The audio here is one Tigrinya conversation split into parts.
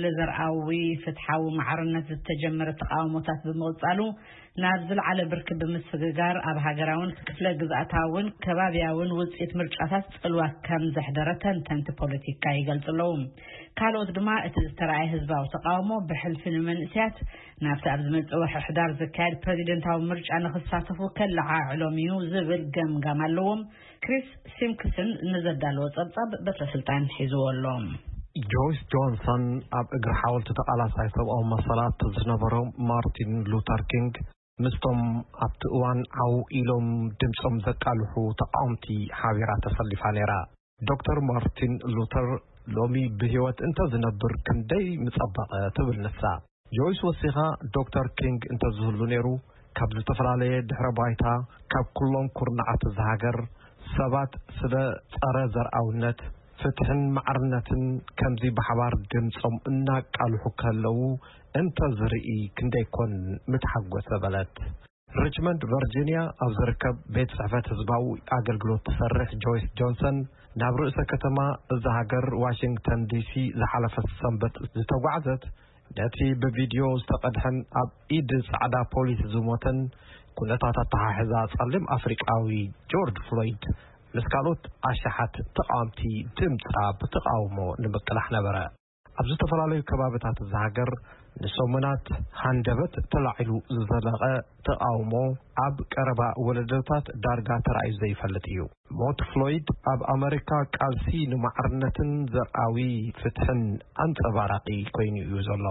ለዘርኣዊ ፍትሓዊ ማዕርነት ዝተጀመረ ተቃውሞታት ብምቕጻሉ ናብ ዝለዓለ ብርኪ ብምስግጋር ኣብ ሃገራውን ክፍለ ግዝኣታውን ከባብያውን ውጽኢት ምርጫታት ጽልዋ ከም ዘሕደረ ተንተንቲ ፖለቲካ ይገልጹ ኣለዉ። ካልኦት ድማ እቲ ዝተረኣየ ህዝባዊ ተቃውሞ ብሕልፊ ንመንእስያት ናብቲ ኣብ ዝመጽእ ወርሒ ሕዳር ዝካየድ ፕሬዚደንታዊ ምርጫ ንኽሳተፉ ከለዓዕሎም እዩ ዝብል ገምጋም ኣለዎም። ክሪስ ሲምፕሰን ንዘዳለዎ ጸብጻብ በትረ ስልጣን ሒዝዎ ኣሎ። ጆይስ ጆንሰን ኣብ እግሪ ሓወልቲ ተቓላሳይ ሰብኣዊ መሰላት ዝነበሮ ማርቲን ሉተር ኪንግ ምስቶም ኣብቲ እዋን ዓው ኢሎም ድምጾም ዘቃልሑ ተቃወምቲ ሓቢራ ተሰሊፋ ነይራ። ዶክተር ማርቲን ሉተር ሎሚ ብህይወት እንተዝነብር ክንደይ ምጸበቐ ትብል ንሳ። ጆይስ ወሲኻ፣ ዶክተር ኪንግ እንተዝህሉ ነይሩ፣ ካብ ዝተፈላለየ ድሕረ ባይታ፣ ካብ ኩሎም ኩርናዓት እዛ ሃገር ሰባት ስለ ጸረ ዘርኣውነት፣ ፍትሕን ማዕርነትን ከምዚ ብሓባር ድምጾም እናቃልሑ ከለዉ እንተዝርኢ ክንደይ ኮን ምተሓጎሰ በለት። ሪችመንድ ቨርጂኒያ ኣብ ዝርከብ ቤት ጽሕፈት ህዝባዊ ኣገልግሎት ትሰርሕ ጆይስ ጆንሰን ናብ ርእሰ ከተማ እዛ ሃገር ዋሽንግተን ዲሲ ዝሓለፈ ሰንበት ዝተጓዕዘት ነቲ ብቪድዮ ዝተቐድሐን ኣብ ኢድ ጻዕዳ ፖሊስ ዝሞተን ኩነታት ኣተሓሕዛ ጸሊም ኣፍሪቃዊ ጆርጅ ፍሎይድ ምስ ካልኦት ኣሽሓት ተቃወምቲ ድምጻ ብተቃውሞ ንምቅላሕ ነበረ። ኣብ ዝተፈላለዩ ከባብታት እዛ ሃገር ንሰሙናት ሃንደበት ተላዒሉ ዝዘለቐ ተቃውሞ ኣብ ቀረባ ወለዶታት ዳርጋ ተራእዩ ዘይፈልጥ እዩ። ሞት ፍሎይድ ኣብ ኣመሪካ ቃልሲ ንማዕርነትን ዘርኣዊ ፍትሕን ኣንጸባራቂ ኮይኑ እዩ ዘሎ።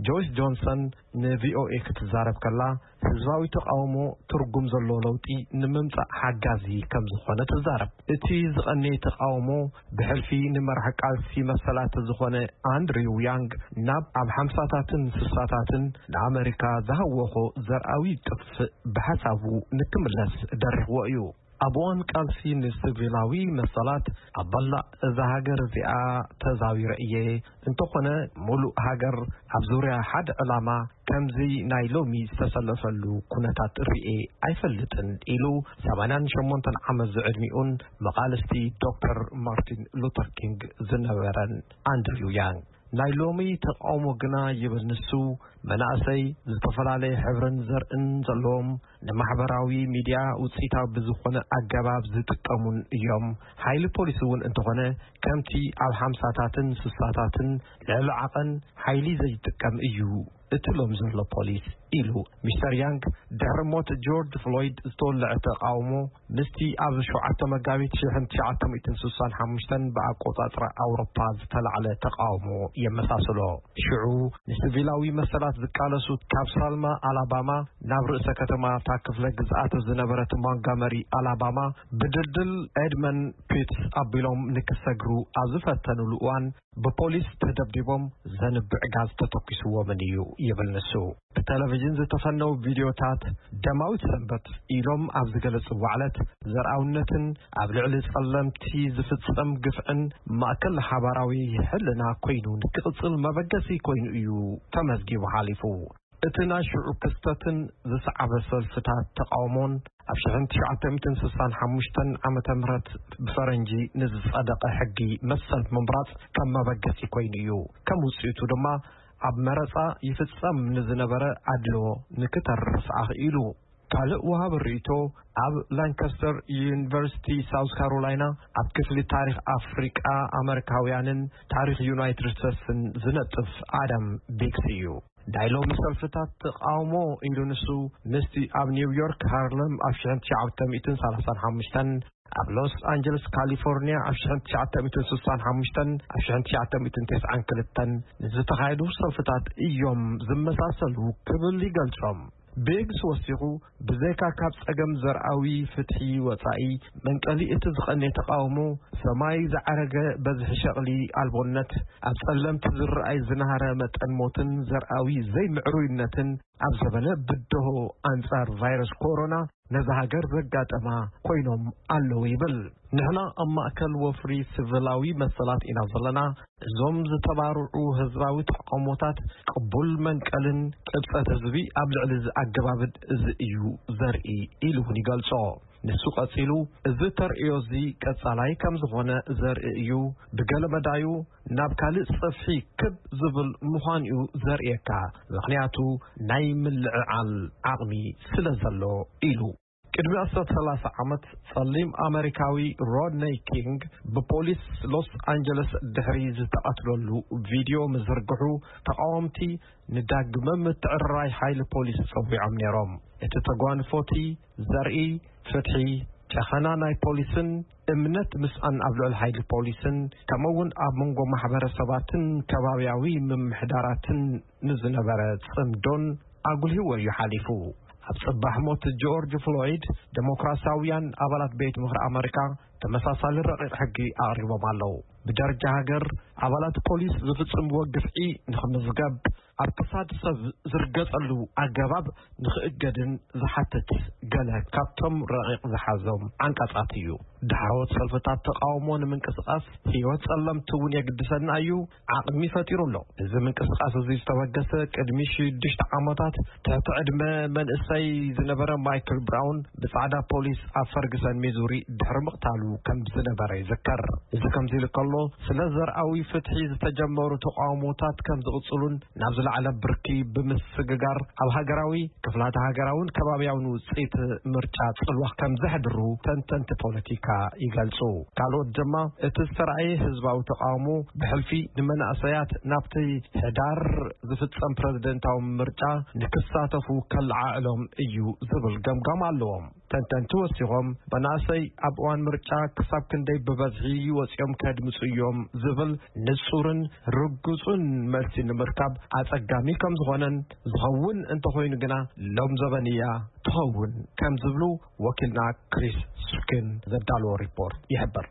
ጆይስ ጆንሰን ንቪኦኤ ክትዛረብ ከላ፣ ህዝባዊ ተቃውሞ ትርጉም ዘለዎ ለውጢ ንምምጻእ ሓጋዚ ከም ዝኾነ ትዛረብ። እቲ ዝቐነየ ተቃውሞ ብሕልፊ ንመራሒ ቃልሲ መሰላት ዝኾነ ኣንድሪው ያንግ ናብ ኣብ ሓምሳታትን ስሳታትን ንኣመሪካ ዝሃወኾ ዘርኣዊ ጥፍእ ብሓሳቡ ንክምለስ ደሪኽዎ እዩ። ኣብ እዋን ቃልሲ ንሲቪላዊ መሰላት ኣብ ባላዕ እዛ ሃገር እዚኣ ተዛዊረ እየ። እንተኾነ፣ ሙሉእ ሃገር ኣብ ዙርያ ሓደ ዕላማ ከምዚ ናይ ሎሚ ዝተሰለፈሉ ኩነታት ርእየ ኣይፈልጥን ኢሉ ሰማንያን ሸሞንተን ዓመት ዝዕድሚኡን መቓልስቲ ዶክተር ማርቲን ሉተር ኪንግ ዝነበረን ኣንድሪው ያንግ። ናይ ሎሚ ተቃውሞ ግና ይብል ንሱ፣ መናእሰይ ዝተፈላለየ ሕብርን ዘርእን ዘለዎም ንማሕበራዊ ሚድያ ውፅኢታዊ ብዝኾነ ኣገባብ ዝጥቀሙን እዮም። ሓይሊ ፖሊስ እውን እንተኾነ ከምቲ ኣብ ሓምሳታትን ስሳታትን ልዕሊ ዓቐን ሓይሊ ዘይጥቀም እዩ እቲ ሎም ዘሎ ፖሊስ ኢሉ። ሚስተር ያንግ ድሕሪ ሞት ጆርጅ ፍሎይድ ዝተወለዐ ተቃውሞ ምስቲ ኣብ ሸውዓተ መጋቢት ሽሕን ትሽዓተ ሚእትን ስሳን ሓሙሽተን ብኣቆጻጽራ ኣውሮፓ ዝተላዕለ ተቃውሞ የመሳስሎ። ሽዑ ንሲቪላዊ መሰላት ዝቃለሱ ካብ ሳልማ ኣላባማ ናብ ርእሰ ከተማ እታ ክፍለ ግዝኣት ዝነበረት ሞንጋመሪ ኣላባማ ብድልድል ኤድመን ፒትስ ኣቢሎም ንክሰግሩ ኣብ ዝፈተኑሉ እዋን ብፖሊስ ተደብዲቦም ዘንብዕ ጋዝ ተተኲስዎምን እዩ ይብል ንሱ። ብቴሌቪዥን ዝተፈነው ቪድዮታት ደማዊት ሰንበት ኢሎም ኣብ ዝገለጽዎ ዕለት ዘርኣውነትን ኣብ ልዕሊ ጸለምቲ ዝፍጸም ግፍዕን ማእከል ሓባራዊ ሕልና ኮይኑ ንክቕጽል መበገሲ ኮይኑ እዩ ተመዝጊቡ ሓሊፉ። እቲ ናይ ሽዑ ክስተትን ዝሰዓበ ሰልፍታት ተቃውሞን ኣብ ሽሕን ትሽዓተ ሚእትን ስሳን ሓሙሽተን ዓመተ ምህረት ብፈረንጂ ንዝጸደቐ ሕጊ መሰል ምምራጽ ከም መበገሲ ኮይኑ እዩ። ከም ውጽኢቱ ድማ ኣብ መረጻ ይፍጸም ንዝነበረ ኣድልዎ ንክተርፍ ኣኽኢሉ። ካልእ ወሃቢ ርእይቶ ኣብ ላንካስተር ዩኒቨርሲቲ ሳውዝ ካሮላይና ኣብ ክፍሊ ታሪኽ ኣፍሪቃ ኣመሪካውያንን ታሪኽ ዩናይትድ ስቴትስን ዝነጥፍ ኣዳም ቢግስ እዩ። ናይ ሎሚ ሰልፍታት ተቃውሞ ኢሉ ንሱ ምስቲ ኣብ ኒውዮርክ ሃርለም ኣብ ሽሕን ትሽዓተ ሚእትን ሰላሳን ሓሙሽተን ኣብ ሎስ ኣንጀለስ ካሊፎርኒያ ኣብ ሽሕን ትሽዓተ ሚእትን ስሳን ሓሙሽተን ኣብ ሽሕን ትሽዓተ ሚእትን ተስዓን ክልተን ንዝተኻየዱ ሰልፍታት እዮም ዝመሳሰሉ ክብል ይገልጾም። ቤግስ ወሲኹ ብዘይካ ካብ ጸገም ዘርኣዊ ፍትሒ ወጻኢ መንቀሊ እቲ ዝቐነ ተቃውሞ ሰማይ ዝዓረገ በዝሒ ሸቕሊ ኣልቦነት ኣብ ጸለምቲ ዝረኣይ ዝናሃረ መጠን ሞትን ዘርኣዊ ዘይምዕሩይነትን ኣብ ዘበነ ብድሆ ኣንጻር ቫይረስ ኮሮና ነዛ ሃገር ዘጋጠማ ኮይኖም ኣለዉ ይብል። ንሕና ኣብ ማእከል ወፍሪ ስቪላዊ መሰላት ኢና ዘለና። እዞም ዝተባርዑ ህዝባዊ ተቃውሞታት ቅቡል መንቀልን ቅብጸት ህዝቢ ኣብ ልዕሊ እዚ ኣገባብን እዚ እዩ ዘርኢ ኢሉ እውን ይገልጾ። ንሱ ቀጺሉ፣ "እዚ ተርእዮ እዚ ቀጻላይ ከም ዝኾነ ዘርኢ እዩ። ብገለ መዳዩ ናብ ካልእ ጽፍሒ ክብ ዝብል ምዃኑ እዩ ዘርእየካ። ምኽንያቱ ናይ ምልዕዓል ዓቕሚ ስለ ዘሎ" ኢሉ። ቅድሚ ኣስታት ሰላሳ ዓመት፣ ጸሊም ኣመሪካዊ ሮድነይ ኪንግ ብፖሊስ ሎስ ኣንጀለስ ድሕሪ ዝተቐትለሉ ቪድዮ ምዝርግሑ፣ ተቓወምቲ ንዳግመ ምትዕርራይ ሓይሊ ፖሊስ ጸዊዖም ነይሮም። እቲ ተጓንፎቲ ዘርኢ ፍትሒ፣ ጨኸና ናይ ፖሊስን እምነት ምስኣን ኣብ ልዕሊ ሓይሊ ፖሊስን፣ ከምኡ እውን ኣብ መንጎ ማሕበረሰባትን ከባብያዊ ምምሕዳራትን ንዝነበረ ጽምዶን ኣጉልህዎ እዩ ሓሊፉ። ኣብ ጽባሕ ሞት ጆርጅ ፍሎይድ፣ ዴሞክራሲያውያን ኣባላት ቤት ምኽሪ ኣመሪካ ተመሳሳሊ ረቂቕ ሕጊ ኣቕሪቦም ኣለዉ። ብደረጃ ሃገር፣ ኣባላት ፖሊስ ዝፍጽምዎ ግፍዒ ንኽምዝገብ፣ ኣብ ክሳድ ሰብ ዝርገጸሉ ኣገባብ ንኽእገድን ዝሓትት ገለ ካብቶም ረቂቕ ዝሓዞም ዓንቀጻት እዩ። ዳሕረዎት ሰልፍታት ተቓውሞ ንምንቅስቓስ ህይወት ጸለምቲ እውን የግድሰና እዩ፣ ዓቕሚ ፈጢሩ ኣሎ። እዚ ምንቅስቓስ እዚ ዝተበገሰ ቅድሚ ሽዱሽተ ዓመታት ትሕቲ ዕድመ መንእሰይ ዝነበረ ማይክል ብራውን ብጻዕዳ ፖሊስ ኣብ ፈርግሰን ሚዙሪ ድሕሪ ምቕታሉ ከም ዝነበረ ይዝከር። እዚ ከምዚ ኢሉ ከሎ፣ ስለ ዘርኣዊ ፍትሒ ዝተጀመሩ ተቓውሞታት ከም ዝቕጽሉን ናብ ዝለዓለ ብርኪ ብምስግጋር ኣብ ሃገራዊ፣ ክፍላተ ሃገራውን ከባብያውን ውጽኢት ምርጫ ጽልዋ ከም ዘሕድሩ ተንተንቲ ፖለቲካ ይገልጹ። ካልኦት ድማ እቲ ዝተራእየ ህዝባዊ ተቓውሞ ብሕልፊ ንመናእሰያት ናብቲ ሕዳር ዝፍጸም ፕረዚደንታዊ ምርጫ ንክሳተፉ ከለዓዕሎም እዩ ዝብል ገምጋም ኣለዎም። ተንተንቲ ወሲኾም፣ መናእሰይ ኣብ እዋን ምርጫ ክሳብ ክንደይ ብበዝሒ ወጺኦም ከድምጹ እዮም ዝብል ንጹርን ርጉጹን መልሲ ንምርካብ ኣጸጋሚ ከም ዝኾነን፣ ዝኸውን እንተኾይኑ ግና ሎም ዘበን እያ ትኸውን ከም ዝብሉ ወኪልና ክሪስ ስኪን ዘዳለዎ ሪፖርት ይሕብር።